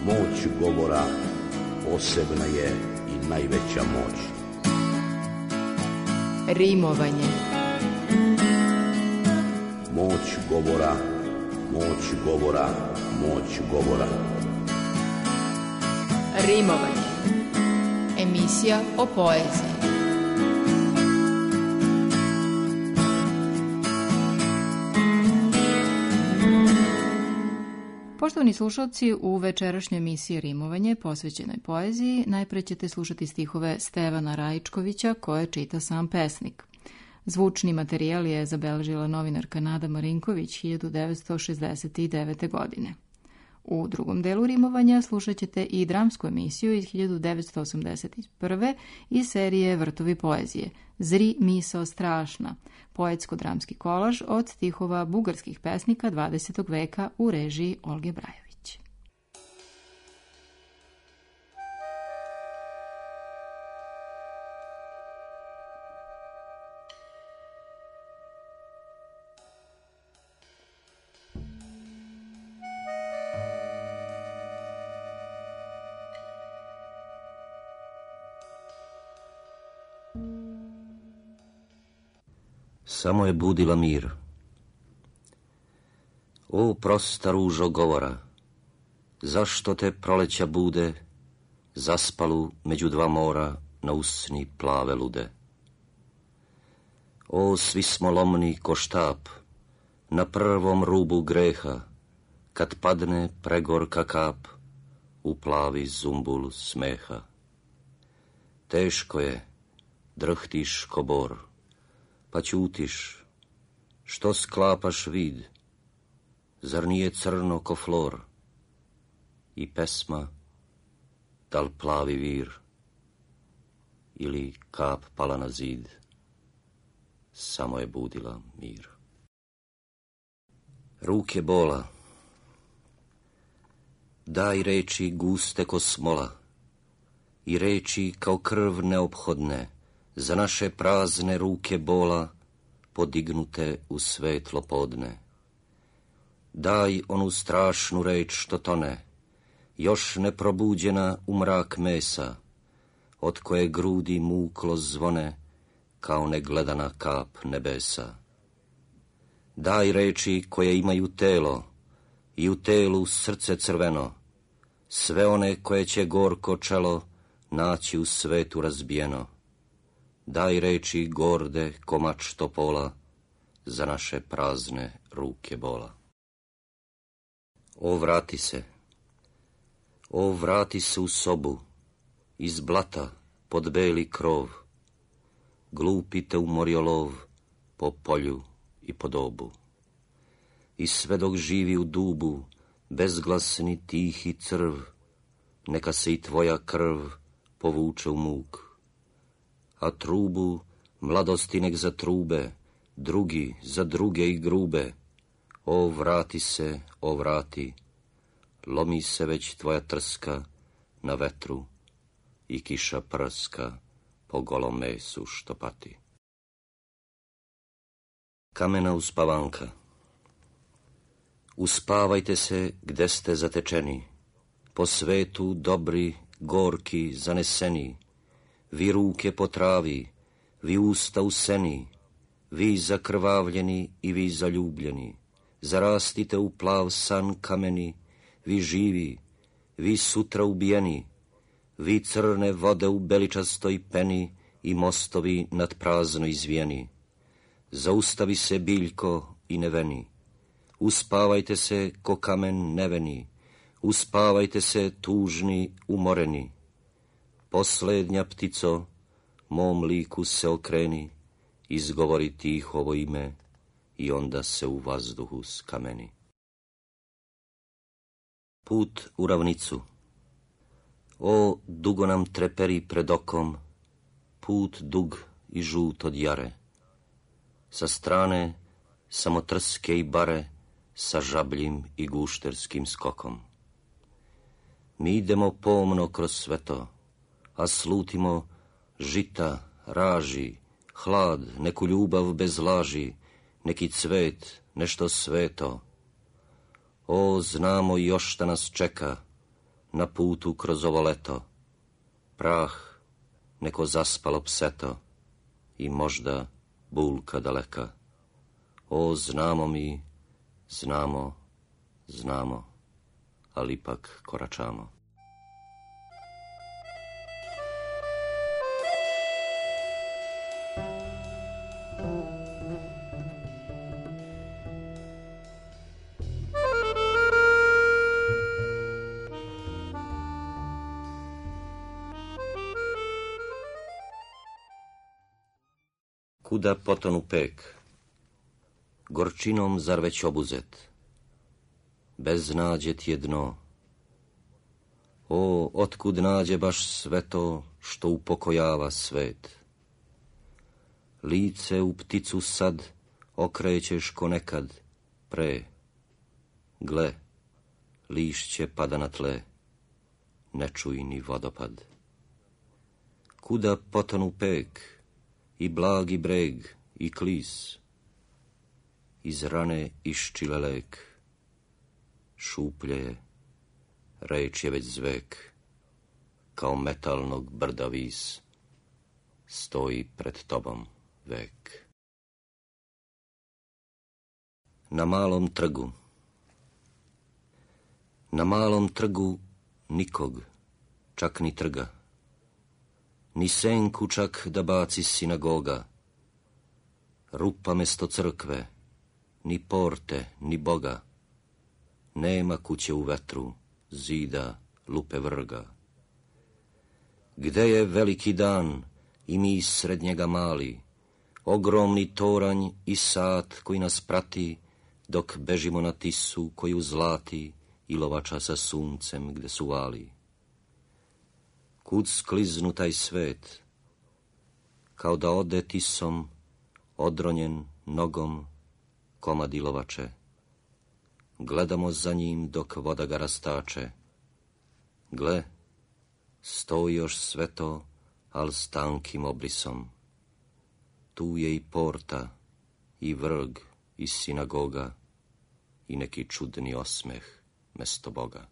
Moć govora posebna je i najveća moć. Rimovanje. Moć govora, moć govora, moć govora. Rimovanje. Emisija o poeziji. Poštovani slušalci, u večerašnjoj emisiji Rimovanje posvećenoj poeziji najpre ćete slušati stihove Stevana Raičkovića koje čita sam pesnik. Zvučni materijal je zabeležila novinarka Nada Marinković 1969. godine. U drugom delu Rimovanja slušat ćete i dramsku emisiju iz 1981. iz serije Vrtovi poezije Zri misao strašna, poetsko-dramski kolaž od stihova bugarskih pesnika 20. veka u režiji Olge Brajević. Samo je budila mir. O prosta ružo govora, zašto te proleća bude, zaspalu među dva mora na usni plave lude? O, svi smo lomni ko štap, na prvom rubu greha, kad padne pregorka kap, u plavi zumbul smeha. Teško je, drhtiš ko bor, pa ćutiš, što sklapaš vid, zar nije crno ko flor, i pesma, da li plavi vir, ili kap pala na zid, samo je budila mir. Ruke bola, daj reči guste ko smola, i reči kao krv neophodne, za naše prazne ruke bola, podignute u svetlo podne. Daj onu strašnu reč što tone, još neprobuđena u mrak mesa, od koje grudi muklo zvone, kao negledana kap nebesa. Daj reči koje imaju telo, i u telu srce crveno, sve one koje će gorko čelo naći u svetu razbijeno. Daj reči gorde ko mač topola, za naše prazne ruke bola. O, vrati se, o, vrati se u sobu, iz blata pod beli krov, glupi te umorio lov po polju i po dobu. I sve dok živi u dubu, bezglasni tihi crv, neka se i tvoja krv povuče u muk. A trubu mladosti nek zatrube, drugi za druge i grube. O, vrati se, o, vrati, lomi se već tvoja trska na vetru i kiša prska po golom mesu što pati. Kamena uspavanka. Uspavajte se gde ste zatečeni, po svetu dobri, gorki, zaneseni, vi ruke po travi, vi usta u seni, vi zakrvavljeni i vi zaljubljeni, zarastite u plav san kameni, vi živi, vi sutra ubijeni, vi crne vode u beličastoj peni i mostovi nad prazno izvijeni. Zaustavi se biljko i neveni, uspavajte se ko kamen neveni, uspavajte se tužni, umoreni. Poslednja ptico, mom liku se okreni, izgovori tihovo ime i onda se u vazduhu skameni. Put u ravnicu. O, dugo nam treperi pred okom, put dug i žut od jare. Sa strane samo trske i bare, sa žabljim i gušterskim skokom. Mi idemo pomno kroz sve to, a slutimo žita, raži, hlad, neku ljubav bez laži, neki cvet, nešto sveto. O, znamo još šta nas čeka, na putu kroz ovo leto, prah neko zaspalo pseto i možda bulka daleka. O, znamo mi, znamo, ali ipak koračamo. Kuda potonu pek, gorčinom zar već obuzet, bez nađe ti je dno. O, otkud nađe baš sve to što upokojava svet? Lice u pticu sad okrećeš ko nekad pre. Gle, lišće pada na tle, ne čuj ni vodopad. Kuda potonu pek, i blagi breg, i klis, iz rane iščile lek, šuplje je, reč je već zvek, kao metalnog brda vis, stoji pred tobom vek. Na malom trgu nikog, čak ni trga, ni senku čak da baci sinagoga, rupa mesto crkve, ni porte, ni Boga, nema kuće u vetru, zida, lupe vrga. Gde je veliki dan i mi sred njega mali, ogromni toranj i sat koji nas prati, dok bežimo na Tisu koju zlati i lovača sa suncem gde su vali. Kud skliznu taj svet, kao da ode Tisom, odronjen nogom komad ilovače. Gledamo za njim dok voda ga rastače. Gle, stoji još sve to, al s tankim obrisom. Tu je i porta, i vrg, i sinagoga, i neki čudni osmeh mesto Boga.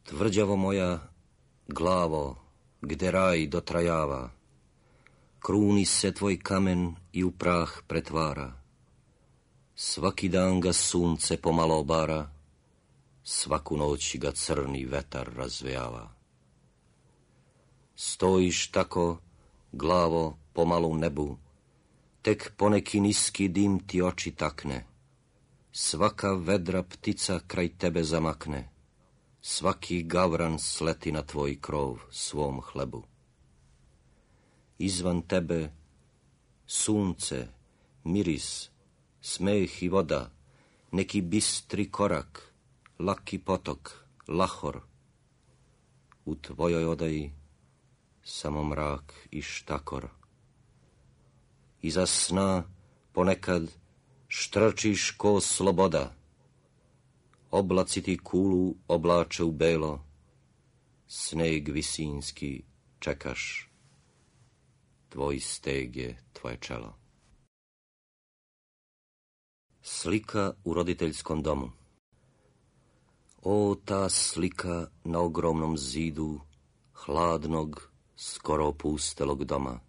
Tvrđavo moja, glavo, gde raj dotrajava, kruni se tvoj kamen i u prah pretvara. Svaki dan ga sunce pomalo obara, svaku noć ga crni vetar razvejava. Stojiš tako, glavo, pomalo u nebu, tek poneki niski dim ti oči takne, svaka vedra ptica kraj tebe zamakne, svaki gavran sleti na tvoj krov svom hlebu. Izvan tebe sunce, miris, smeh i voda, neki bistri korak, laki potok, lahor. U tvojoj odaji samo mrak i štakor. Iza sna ponekad štrčiš ko sloboda, oblaci ti kulu oblače u belo, sneg visinski čekaš, tvoj steg je tvoje čelo. Slika u roditeljskom domu. O, ta slika na ogromnom zidu hladnog, skoro opustelog doma.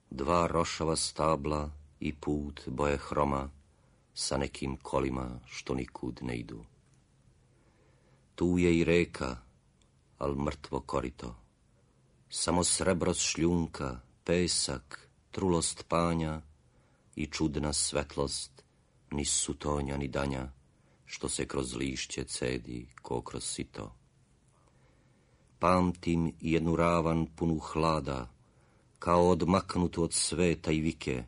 Dva rošava stabla i put boje hroma sa nekim kolima što nikud ne idu. Tu je i reka, al mrtvo korito. Samo srebro šljunka, pesak, trulost panja i čudna svetlost, ni sutonja ni danja, što se kroz lišće cedi ko kroz sito. Pamtim jednu ravan punu hlada, kao odmaknutu od sveta i vike,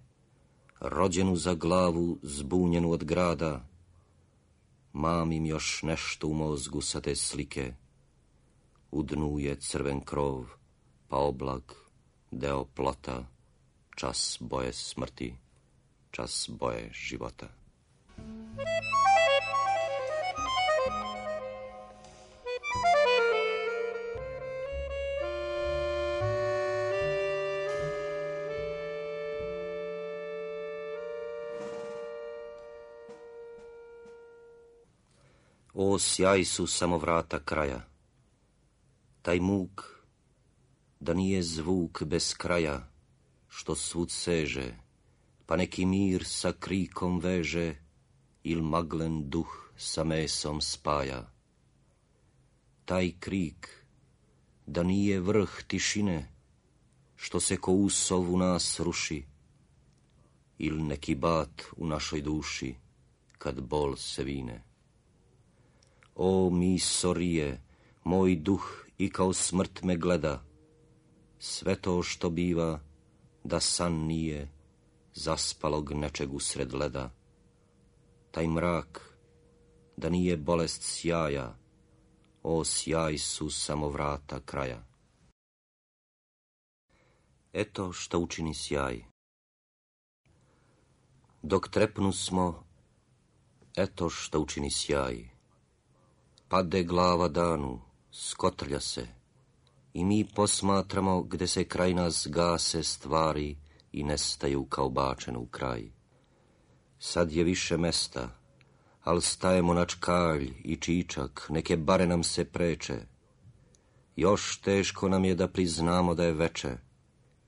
rođenu za glavu, zbunjenu od grada. Mamim još nešto u mozgu sa te slike, u dnu je crven krov, pa oblak, deo plota, čas boje smrti, čas boje života. O, sjaj su samo vrata kraja. Taj muk, da nije zvuk bez kraja, što svud seže, pa neki mir sa krikom veže, il maglen duh sa mesom spaja. Taj krik, da nije vrh tišine, što se ko usov u nas ruši, il neki bat u našoj duši, kad bol se vine. O, mi sorije, moj duh i kao smrt me gleda, sve to što biva, da san nije, zaspalog nečeg usred leda. Taj mrak, da nije bolest sjaja, o, sjaj su samo vrata kraja. Eto što učini sjaj. Dok trepnu smo, eto što učini sjaj. Pade glava danu, skotrlja se, i mi posmatramo gde se kraj nas gase stvari i nestaju kao bačen u kraj. Sad je više mesta, al stajemo na čkalj i čičak, neke bare nam se preče. Još teško nam je da priznamo da je veče,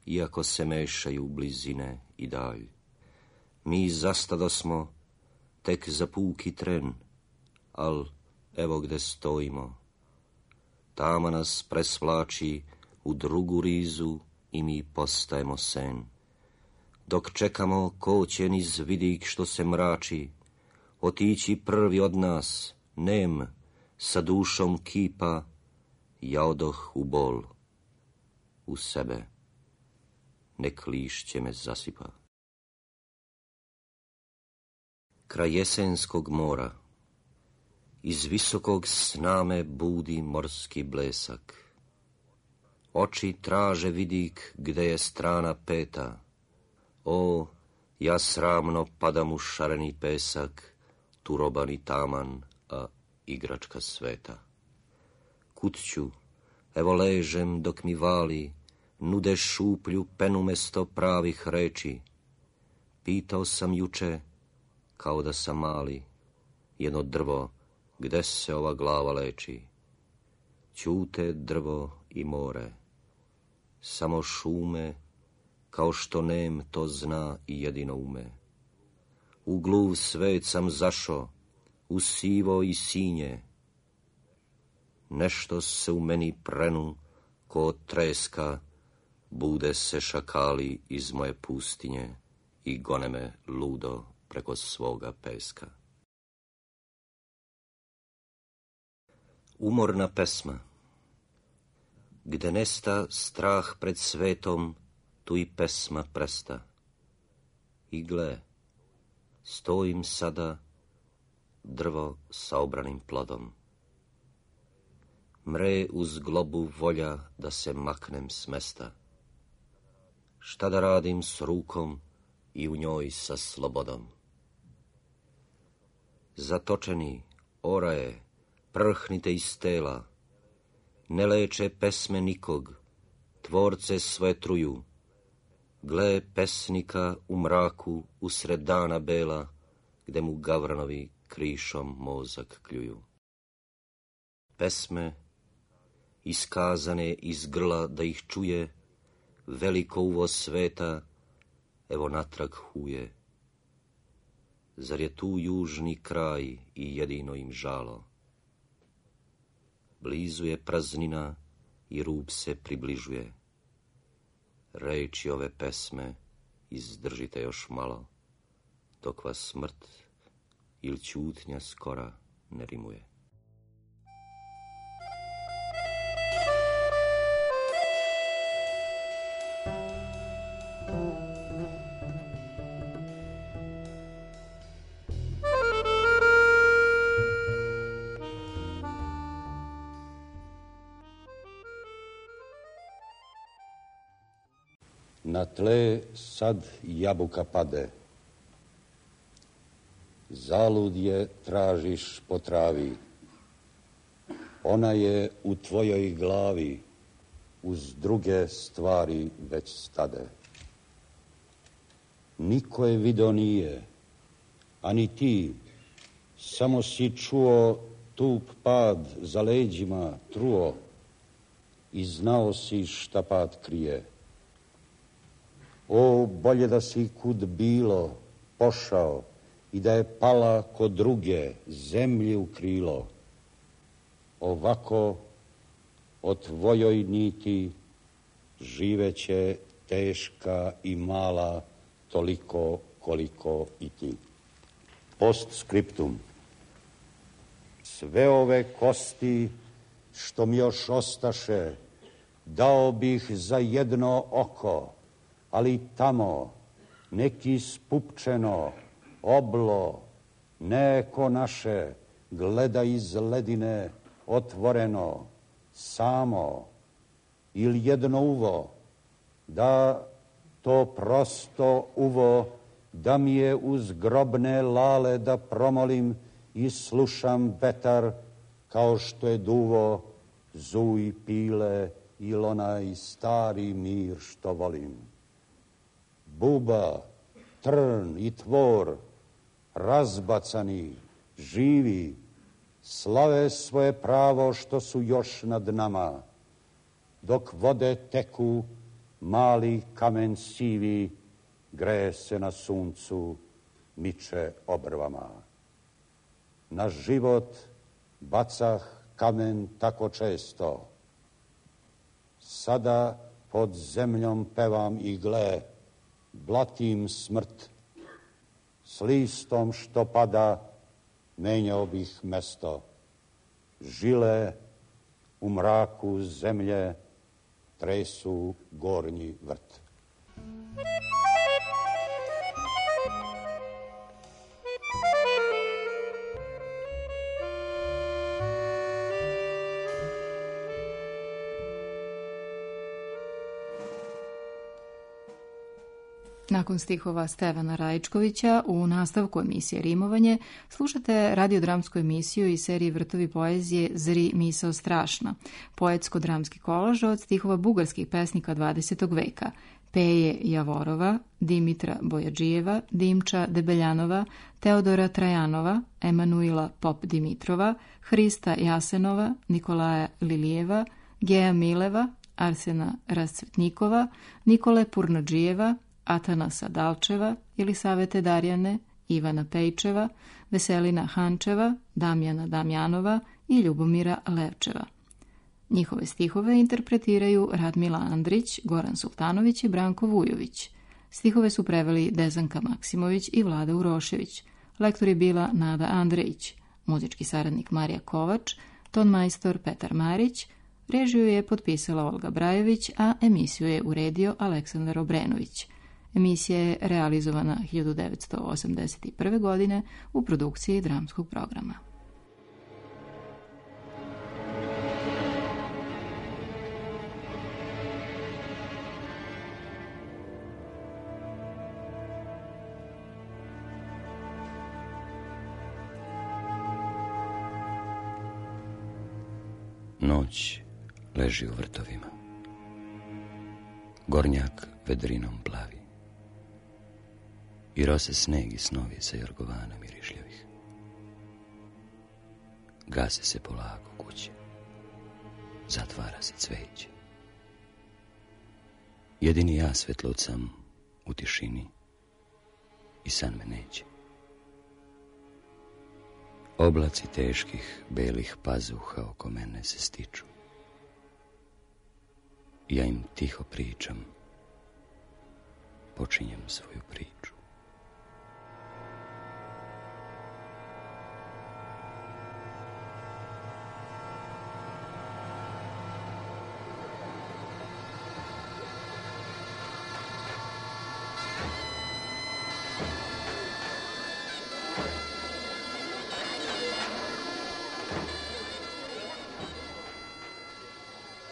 iako se mešaju blizine i dalj. Mi zastadosmo tek za puki tren, al evo gde stojimo. Tama nas presvlači u drugu rizu i mi postajemo sen. Dok čekamo ko će niz vidik što se mrači, otići prvi od nas, nem, sa dušom kipa, ja odoh u bol, u sebe, nek lišće me zasipa. Kraj jesenskog mora, iz visokog sna me budi morski blesak. Oči traže vidik gde je strana peta. O, ja sramno padam u šareni pesak, tu robani taman, a igračka sveta. Kud ću, evo ležem dok mi vali, nude šuplju penu mesto pravih reči. Pitao sam juče, kao da sam mali, jedno drvo, gde se ova glava leči. Ćute drvo i more, samo šume, kao što nem to zna i jedino ume. U gluv svet sam zašo, u sivo i sinje. Nešto se u meni prenu, ko od treska, bude se šakali iz moje pustinje i gone me ludo preko svoga peska. Umorna pesma. Gde nesta strah pred svetom, tu i pesma presta. I gle, stojim sada, drvo sa obranim plodom. Mre uz globu volja da se maknem s mesta. Šta da radim s rukom i u njoj sa slobodom? Zatočeni, oraje, prhnite iz tela, ne leče pesme nikog, tvorce svoje truju. Gle pesnika u mraku usred dana bela, gde mu gavranovi krišom mozak kljuju. Pesme, iskazane iz grla da ih čuje, veliko uvo sveta, evo natrag huje. Zar je tu južni kraj i jedino im žalo? Blizu je praznina i rub se približuje. Reči ove pesme izdržite još malo, dok vas smrt ili ćutnja skora ne rimuje. Na tle sad jabuka pade, zalud je tražiš po travi, ona je u tvojoj glavi, uz druge stvari već stade. Niko je video nije, ani ti, samo si čuo stup pad za leđima truo i znao si šta pad krije. O, bolje da si kud bilo pošao i da je pala kod druge zemlji u krilo. Ovako o tvojoj niti živeće teška i mala toliko koliko i ti. Postscriptum. Sve ove kosti što mi još ostaše dao bih za jedno oko, ali tamo neki spupčeno oblo, neko naše gleda iz ledine otvoreno, samo, ili jedno uvo, da to prosto uvo, da mi je uz grobne lale da promolim i slušam vetar kao što je duvo, zuj pile ili onaj stari mir što volim. Buba, trn i tvor, razbacani, živi, slave svoje pravo što su još nad nama. Dok vode teku, mali kamen sivi, greje se na suncu, miče obrvama. Na život bacah kamen tako često. Sada pod zemljom pevam i gle, blatim smrt. S listom što pada, menjao bih mesto. Žile u mraku zemlje tresu gornji vrt. Nakon stihova Stevana Rajičkovića u nastavku emisije Rimovanje slušate radiodramsku emisiju iz serije Vrtovi poezije Zri misao strašna, poetsko-dramski kolaž od stihova bugarskih pesnika 20. veka, Peje Javorova, Dimitra Bojadžijeva, Dimča Debeljanova, Teodora Trajanova, Emanuila Pop-Dimitrova, Hrista Jasenova, Nikolaja Lilijeva, Geja Mileva, Arsena Rascvetnikova, Nikole Purnadžijeva, Atanasa Dalčeva, Jelisavete Darjane, Ivana Pejčeva, Veselina Hančeva, Damjana Damjanova i Ljubomira Levčeva. Njihove stihove interpretiraju Radmila Andrić, Goran Sultanović i Branko Vujović. Stihove su preveli Dezanka Maksimović i Vlada Urošević. Lektor je bila Nada Andrejić, muzički saradnik Marija Kovač, tonmajstor Petar Marić, režiju je potpisala Olga Brajević, a emisiju je uredio Aleksandar Obrenović. Emisija je realizovana 1981. godine u produkciji dramskog programa. Noć leži u vrtovima. Gornjak vedrinom plavi. I rose sneg i snovi sa jorgovana mirišljavih. Gase se polako kuće. Zatvara se cveće. Jedini ja svetlut sam u tišini i san me neće. Oblaci teških, belih pazuha oko mene se stiču. Ja im tiho pričam, počinjem svoju priču.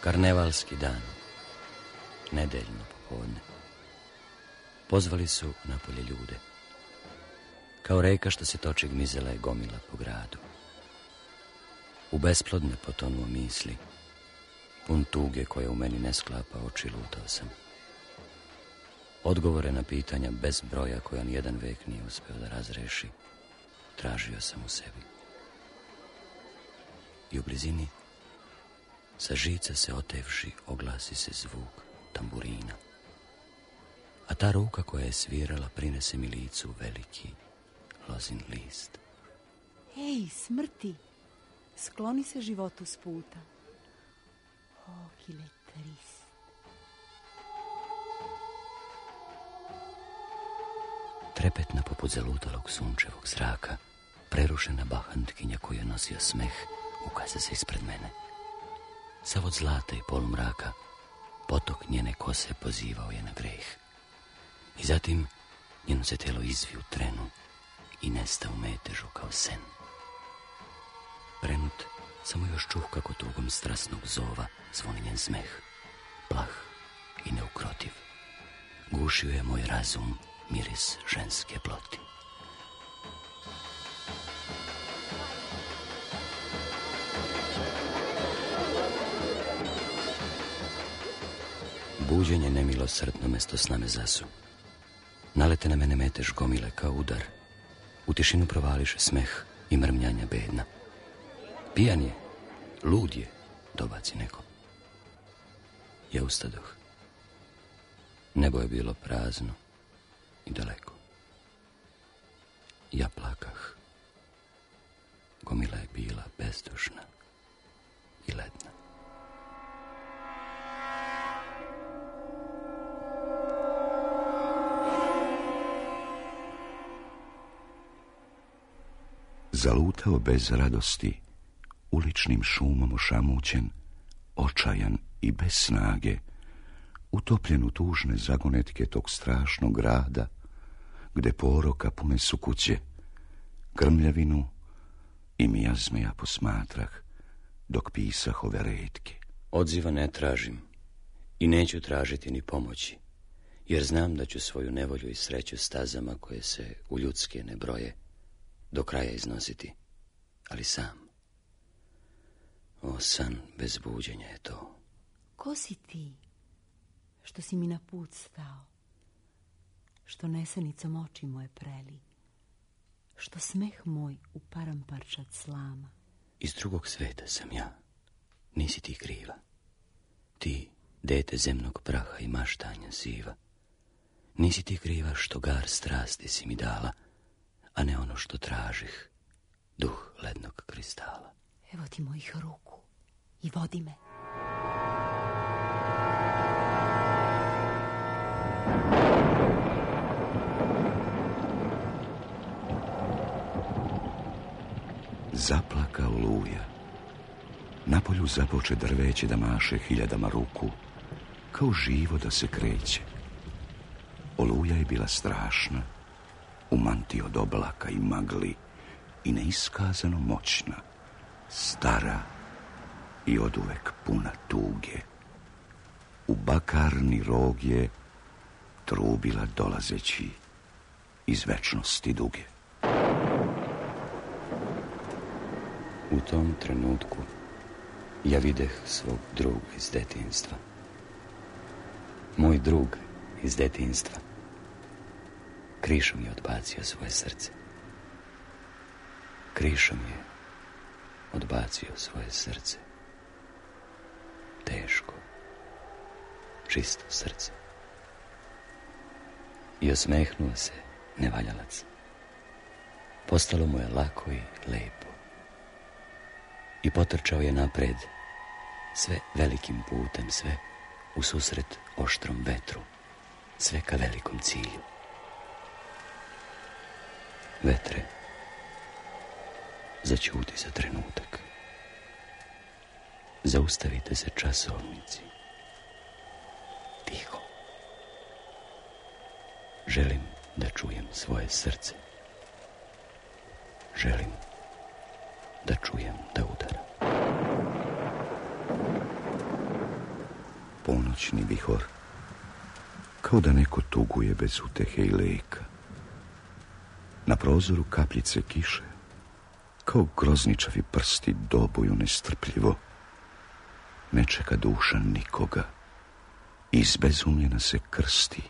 Karnevalski dan, nedeljno popodne. Pozvali su napolje ljude. Kao reka što se toči gmizela je gomila po gradu. U besplodne potonuo misli, pun tuge koje u meni ne sklapa oči, lutao sam. Odgovore na pitanja bez broja koja nijedan vek nije uspeo da razreši, tražio sam u sebi. i u blizini sa žica se otevši oglasi se zvuk tamburina. A ta ruka koja je svirala prinese mi licu veliki lozin list. Ej, smrti, skloni se životu s puta. O, qu'il est triste. Trepetna poput zalutalog sunčevog zraka, prerušena bahantkinja koju je nosio smeh, ukaza se ispred mene. Sav od zlata i polumraka, potok njene kose pozivao je na greh. I zatim njeno se telo izvi u trenu i nesta u metežu kao sen. Prenut, samo još čuh kako tugom strasnog zova zvoni njen smeh, plah i neukrotiv. Gušio je moj razum miris ženske ploti. Buđenje nemilosrdno mesto sname zasu. Nalete na mene metež gomile kao udar. U tišinu provališe smeh i mrmljanja bedna. Pijan je, lud je, dobaci neko. Ja ustadoh. Nebo je bilo prazno i daleko. Ja plakah. Gomila je bila bezdušna i ledna. Zalutao bez radosti, uličnim šumom ošamućen, očajan i bez snage, utopljen u tužne zagonetke tog strašnog grada, gde poroka pune su kuće, grmljavinu i mijazme ja posmatrah, dok pisah ove retke. Odziva ne tražim i neću tražiti ni pomoći, jer znam da ću svoju nevolju i sreću stazama koje se u ljudske ne broje do kraja iznositi, ali sam. O, san bez buđenja je to. Ko si ti, što si mi na put stao, što nesenicom oči moje preli, što smeh moj uparam parčad slama? Iz drugog sveta sam ja, nisi ti kriva. Ti, dete zemnog praha i maštanja siva, nisi ti kriva što gar strasti si mi dala, a ne ono što tražih, duh lednog kristala. Evo ti mojih ruku i vodi me. Zaplaka oluja. Napolju započe drveće da maše hiljadama ruku, kao živo da se kreće. Oluja je bila strašna, u mantiji od oblaka i magli i neiskazano moćna, stara i oduvek puna tuge. U bakarni rog je trubila dolazeći iz večnosti duge. U tom trenutku ja videh svog druga iz detinjstva. Moj drug iz detinjstva krišom je odbacio svoje srce. Krišom je odbacio svoje srce. Teško, čisto srce. I osmehnuo se nevaljalac. Postalo mu je lako i lepo. I potrčao je napred, sve velikim putem, sve u susret oštrom vetru, sve ka velikom cilju. Vetre, zaćuti za trenutak. Zaustavite se časovnici. Tiho. Želim da čujem svoje srce. Želim da čujem da udara. Ponoćni vihor, kao da neko tuguje bez utehe i leka. Na prozoru kapljice kiše, kao grozničavi prsti dobuju nestrpljivo. Ne čeka duša nikoga, izbezumljena se krsti,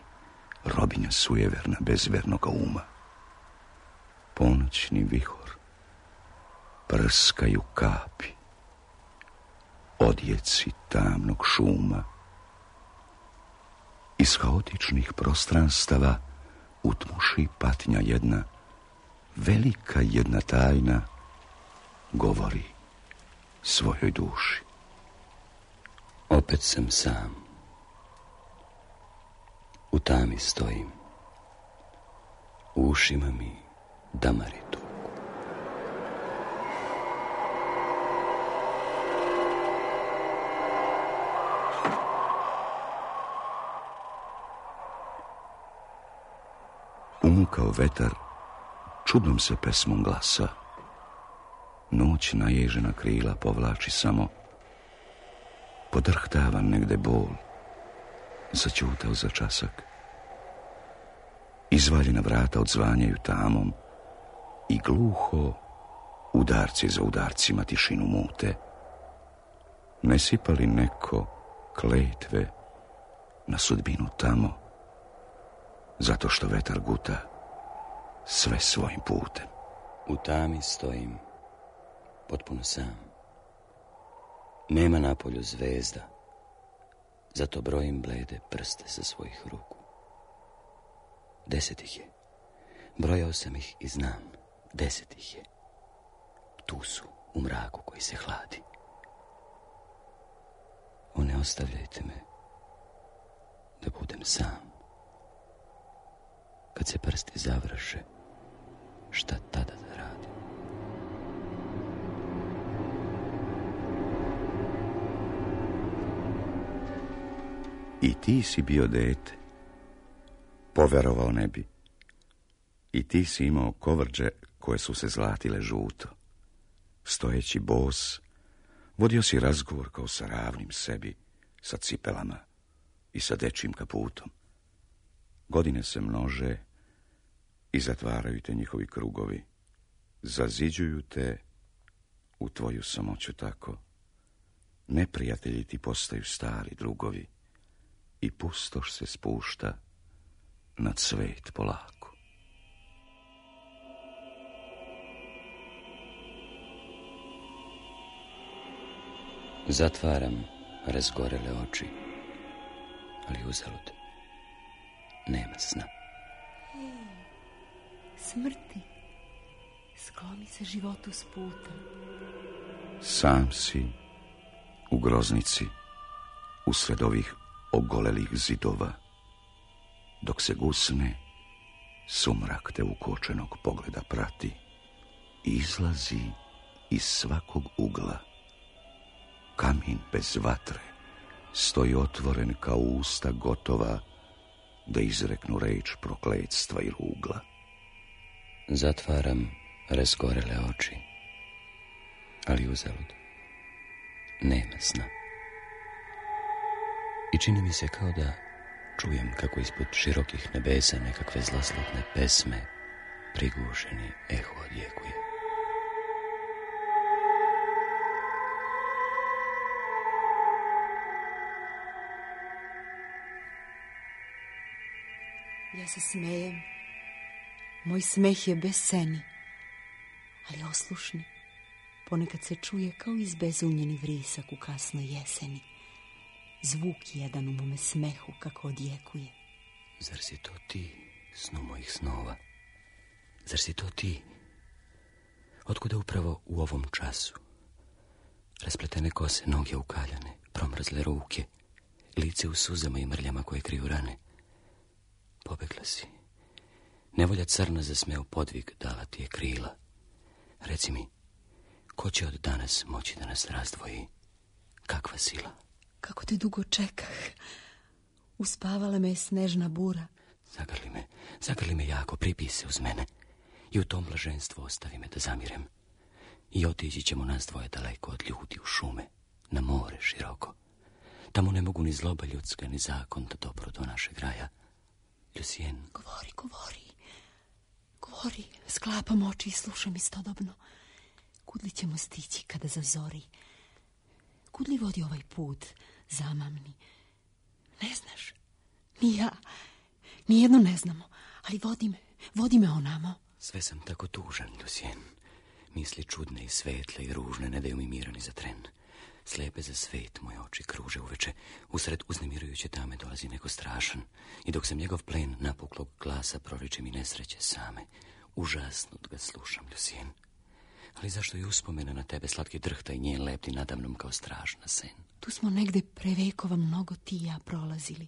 robinja sujeverna bez vernoga uma. Ponoćni vihor, prskaju kapi odjeci tamnog šuma. Iz haotičnih prostranstava utmuši patnja jedna, velika jedna tajna, govori svojoj duši. Opet sam sam. U tami stojim. U ušima mi damari tuku. Umukao vetar, čudnom se pesmom glasa. Noć naježena krila povlači samo. Podrhtava negde bol, začutao za časak. Izvaljena vrata odzvanjaju tamom i gluho udarci za udarcima tišinu mute. Ne sipa li neko kletve na sudbinu tamo, zato što vetar guta sve svojim putem? U tami stojim, potpuno sam. Nema na polju zvezda, zato brojim blede prste sa svojih ruku. 10 ih je. Brojao sam ih i znam. 10 ih je. Tu su, u mraku koji se hladi. O, ne ostavljajte me da budem sam. Kad se prsti završe, šta tada da radim? I ti si bio dete, poverovao ne bi. I ti si imao kovrđe koje su se zlatile žuto. Stojeći bos, vodio si razgovor kao sa ravnim sebi, sa cipelama i sa dečjim kaputom. Godine se množe i zatvaraju te njihovi krugovi. Zaziđuju te u tvoju samoću tako. Neprijatelji ti postaju stari drugovi i pustoš se spušta nad svet polako. Zatvaram razgorele oči, ali uzalud. Nema sna. Smrti, skloni se životu s puta. Sam si u groznici, usred ovih ogolelih zidova. Dok se gusne, sumrak te ukočenog pogleda prati i izlazi iz svakog ugla. Kamin bez vatre stoji otvoren kao usta gotova da izreknu reč prokletstva i rugla. Zatvaram razgorele oči, ali uzalud. Nema sna. I čini mi se kao da čujem kako ispod širokih nebesa nekakve zloslutne pesme prigušeni eho odjekuje. Ja se smejem. Moj smeh je besceni, ali oslušni. Ponekad se čuje kao izbezumljeni vrisak u kasnoj jeseni. Zvuk jedan u mome smehu kako odjekuje. Zar si to ti, snu mojih snova? Zar si to ti? Otkuda upravo u ovom času? Raspletene kose, noge ukaljane, promrzle ruke, lice u suzama i mrljama koje kriju rane. Pobegla si. Nevolja crna za smeo podvig dala ti je krila. Reci mi, ko će od danas moći da nas razdvoji? Kakva sila? Kako te dugo čekah. Uspavala me je snežna bura. Zagrli me jako, pripij se uz mene. I u tom blaženstvu ostavi me da zamirem. I otići ćemo nas dvoje daleko od ljudi u šume, na more široko. Tamo ne mogu ni zloba ljudska, ni zakon da dopru do našeg raja. Lucien. Govori, sklapam oči i slušam istodobno. Kud li ćemo stići kada zazori? Kud li vodi ovaj put, zamamni? Ne znaš, ni ja, nijedno ne znamo, ali vodi me onamo. Sve sam tako tužan, Lucien. Misli čudne i svetle i ružne ne daju mi mira ni za tren. Slepe za svet moje oči kruže uveče, usred uznemirujuće tame dolazi neko strašan, i dok sam njegov plen napuklog glasa proriče mi nesreće same, užasnut ga slušam, Lucien. Ali zašto je uspomena na tebe slatki drhta i njen lepti nadamnom kao strašna sen? Tu smo negde pre vekova mnogo ti i ja prolazili.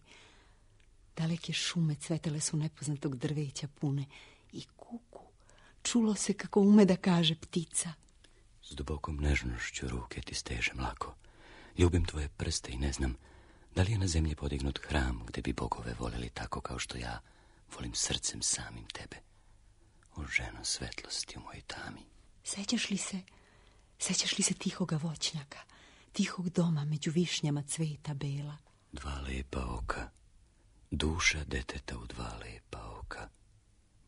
Daleke šume cvetele su nepoznatog drveća pune i kuku. Čulo se kako ume da kaže ptica. S dubokom nežnošću ruke ti stežem lako. Ljubim tvoje prste i ne znam da li je na zemlji podignut hram gde bi bogove voleli tako kao što ja volim srcem samim tebe. O ženo svetlosti u mojoj tami. Sećaš li se tihoga voćnjaka, tihog doma među višnjama cveta bela? Dva lepa oka, duša deteta u dva lepa oka,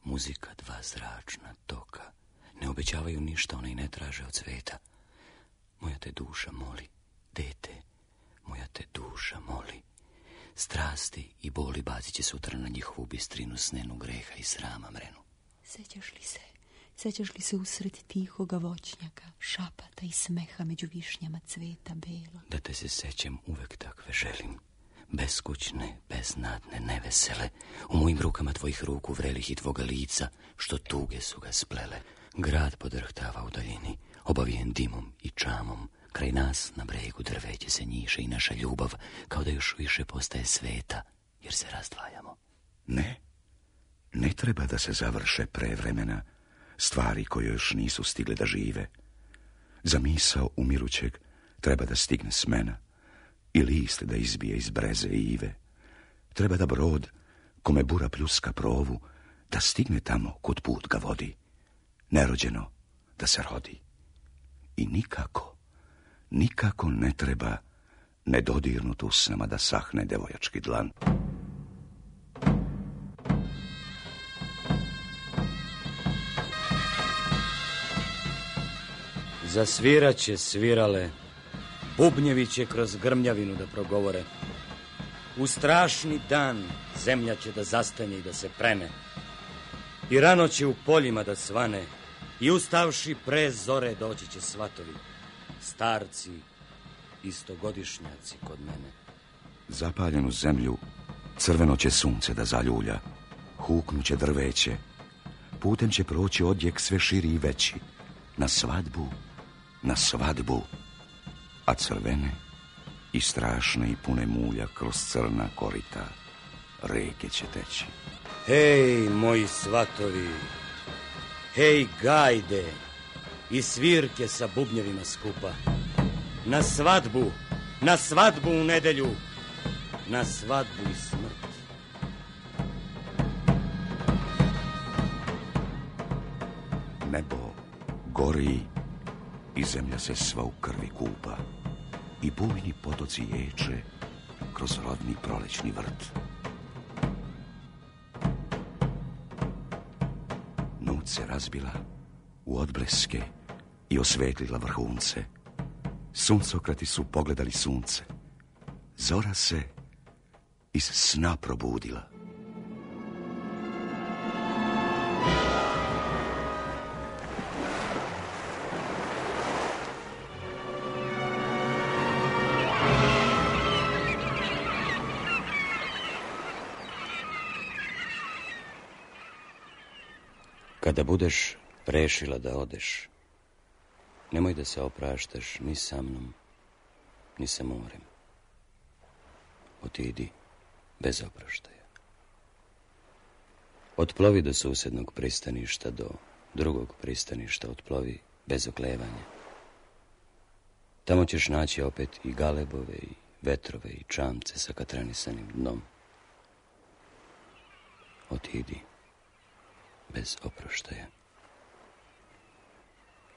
muzika dva zračna toka, ne obećavaju ništa, ona i ne traže od sveta. Moja te duša moli, dete, moja te duša moli. Strasti i boli bacit će sutra na njihovu bistrinu snenu greha i srama mrenu. Sećaš li se usred tihoga voćnjaka, šapata i smeha među višnjama cveta bela? Da te se sećam uvek takve želim, beskućne, beznadne, nevesele, u mojim rukama tvojih ruku vrelih i tvoga lica, što tuge su ga splele. Grad podrhtava u daljini, obavijen dimom i čamom. Kraj nas na bregu drveće se njiše i naša ljubav, kao da još više postaje sveta, jer se razdvajamo. Ne treba da se završe pre vremena stvari koje još nisu stigle da žive. Za misao umirućeg treba da stigne smena i list da izbije iz breze i ive. Treba da brod, kome bura pljuska provu, da stigne tamo kud put ga vodi. Nerođeno da se rodi. I nikako ne treba nedodirnut usnama da sahne devojački dlan. Zasviraće svirale, bubnjevi će kroz grmljavinu da progovore. U strašni dan zemlja će da zastanje i da se prene. I rano će u poljima da svane, i ustavši pre zore doći će svatovi, starci, istogodišnjaci kod mene. Zapaljenu zemlju crveno će sunce da zaljulja, huknuće drveće, putem će proći odjek sve širi i veći, na svadbu, a crvene i strašne i pune mulja kroz crna korita reke će teći. Hej, moji svatovi, hej, gajde i svirke sa bubnjevima skupa, na svadbu u nedelju, na svadbu i smrt. Nebo gori i zemlja se sva u krvi kupa i bujni potoci ječe kroz rodni prolećni vrt. Noć se razbila u odbleske i osvetlila vrhunce. Suncokrati su pogledali sunce. Zora se iz sna probudila. Kada budeš rešila da odeš, nemoj da se opraštaš ni sa mnom, ni sa morem. Otidi bez opraštaja. Otplovi do susednog pristaništa, do drugog pristaništa otplovi bez oklevanja. Tamo ćeš naći opet i galebove, i vetrove, i čamce sa katranisanim dnom. Otidi bez oproštaja.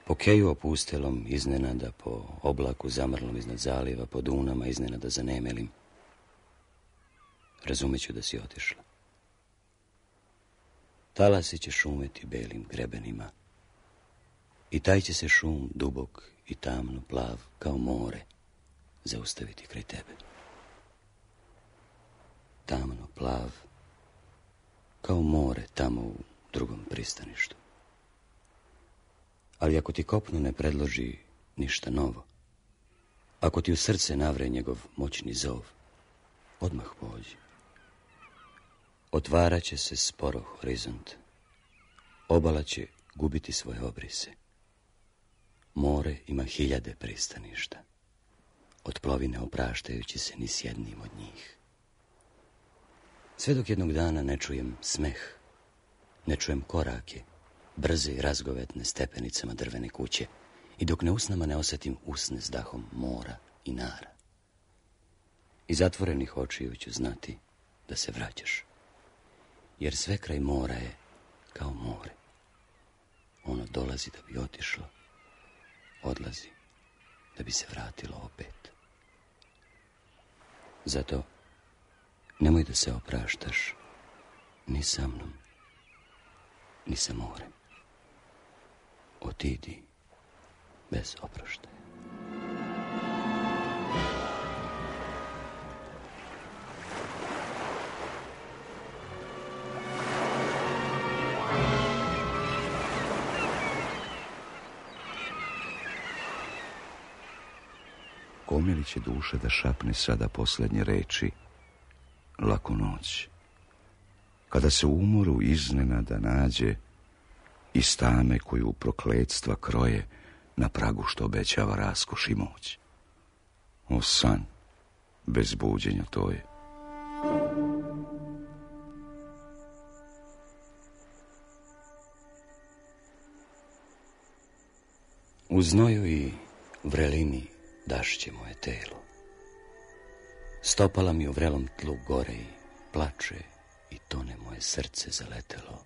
Po keju opustelom iznenada, po oblaku zamrlom iznad zaliva, po dunama iznenada zanemelim, razumeću da si otišla. Talasi će šumeti belim grebenima i taj će se šum dubok i tamno plav kao more zaustaviti kraj tebe. Tamno plav kao more tamo u drugom pristaništu. Ali ako ti kopno ne predloži ništa novo, Ako ti u srce navre njegov moćni zov, odmah pođi. Otvarat će se sporo horizont. Obala će gubiti svoje obrise. More ima 1000 pristaništa. Otplovi ne opraštajući se ni s jednim od njih. Sve dok jednog dana ne čujem smeh, ne čujem korake, brze i razgovetne stepenicama drvene kuće, i dok ne usnama ne osjetim usne s dahom mora i nara. Iz zatvorenih očiju ću znati da se vraćaš, jer sve kraj mora je kao more. Ono dolazi da bi otišlo, odlazi da bi se vratilo opet. Zato nemoj da se opraštaš ni sa mnom, ni sa morem. Otidi bez oproštaja. Komili će duša da šapne sada posljednje reči, laku noć, kada se u umoru iznenada nađe iz tame koju prokletstva kroje na pragu što obećava raskoš i moć. O san, bez buđenja to je. U znoju i vrelini dašće moje telo. Stopala mi u vrelom tlu gore i plače i tone moje srce zaletelo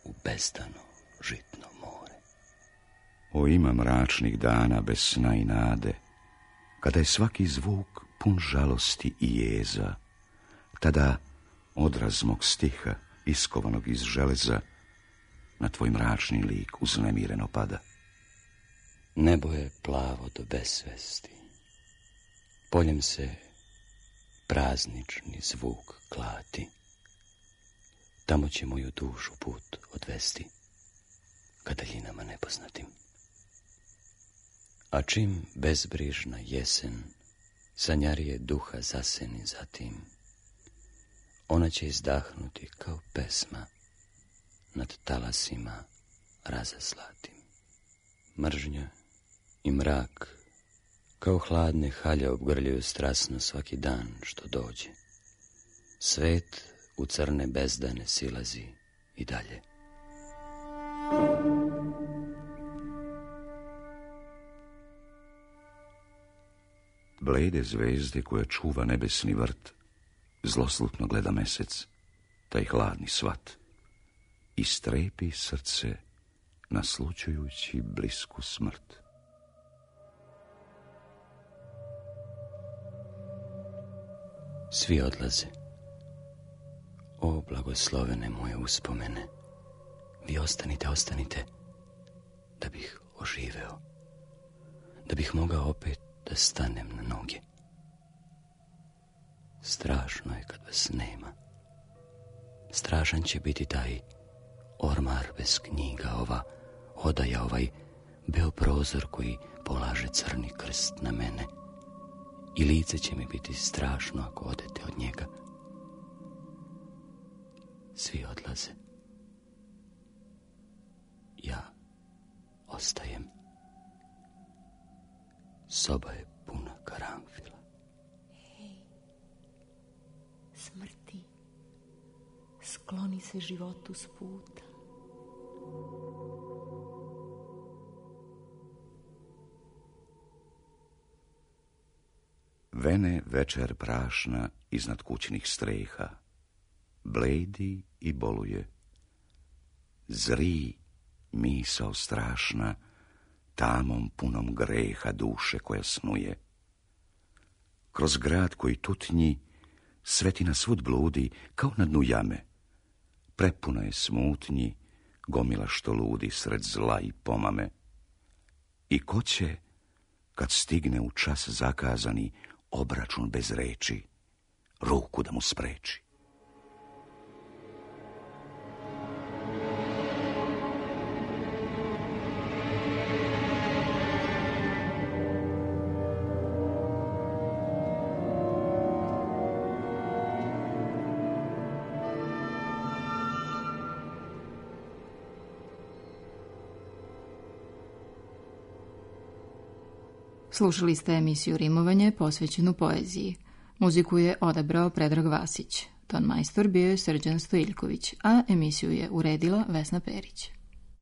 u bezdano žitno more. O ima mračnih dana bez sna i nade, kada je svaki zvuk pun žalosti i jeza, tada odraz mog stiha, iskovanog iz železa, na tvoj mračni lik uznemireno pada. Nebo je plavo do besvesti. Poljem se praznični zvuk klati. Tamo će moju dušu put odvesti, ka daljinama nepoznatim. A čim bezbrižna jesen sanjarije duha zaseni zatim, ona će izdahnuti kao pesma nad talasima razaslatim. Mržnja i mrak kao hladne halje obgrljaju strasno svaki dan što dođe. Svet u crne bezdane silazi i dalje. Blede zvezde koja čuva nebesni vrt, zloslutno gleda mesec, taj hladni svat, i strepi srce naslućujući blisku smrt. Svi odlaze. O blagoslovene moje uspomene, vi ostanite, ostanite, da bih oživeo, da bih mogao opet da stanem na noge. Strašno je kad vas nema. Strašan će biti taj ormar bez knjiga, ova odaja, ovaj beo prozor koji polaže crni krst na mene. I lice će mi biti strašno ako odete od njega. Svi odlaze. Ja ostajem. Soba je puna karanfila. Hej, smrti, skloni se životu s puta. Vene večer prašna iznad kućnih streha, bledi i boluje. Zri misao strašna, tamom punom greha duše koja snuje. Kroz grad koji tutnji, svetina svud bludi kao na dnu jame. Prepuna je smutnji, gomila što ludi sred zla i pomame. I ko će, kad stigne u čas zakazani, obračun bez reči, ruku da mu spreči. Slušali ste emisiju Rimovanje posvećenu poeziji. Muziku je odabrao Predrag Vasić. Ton majstor bio je Srđan Stojiljković, a emisiju je uredila Vesna Perić.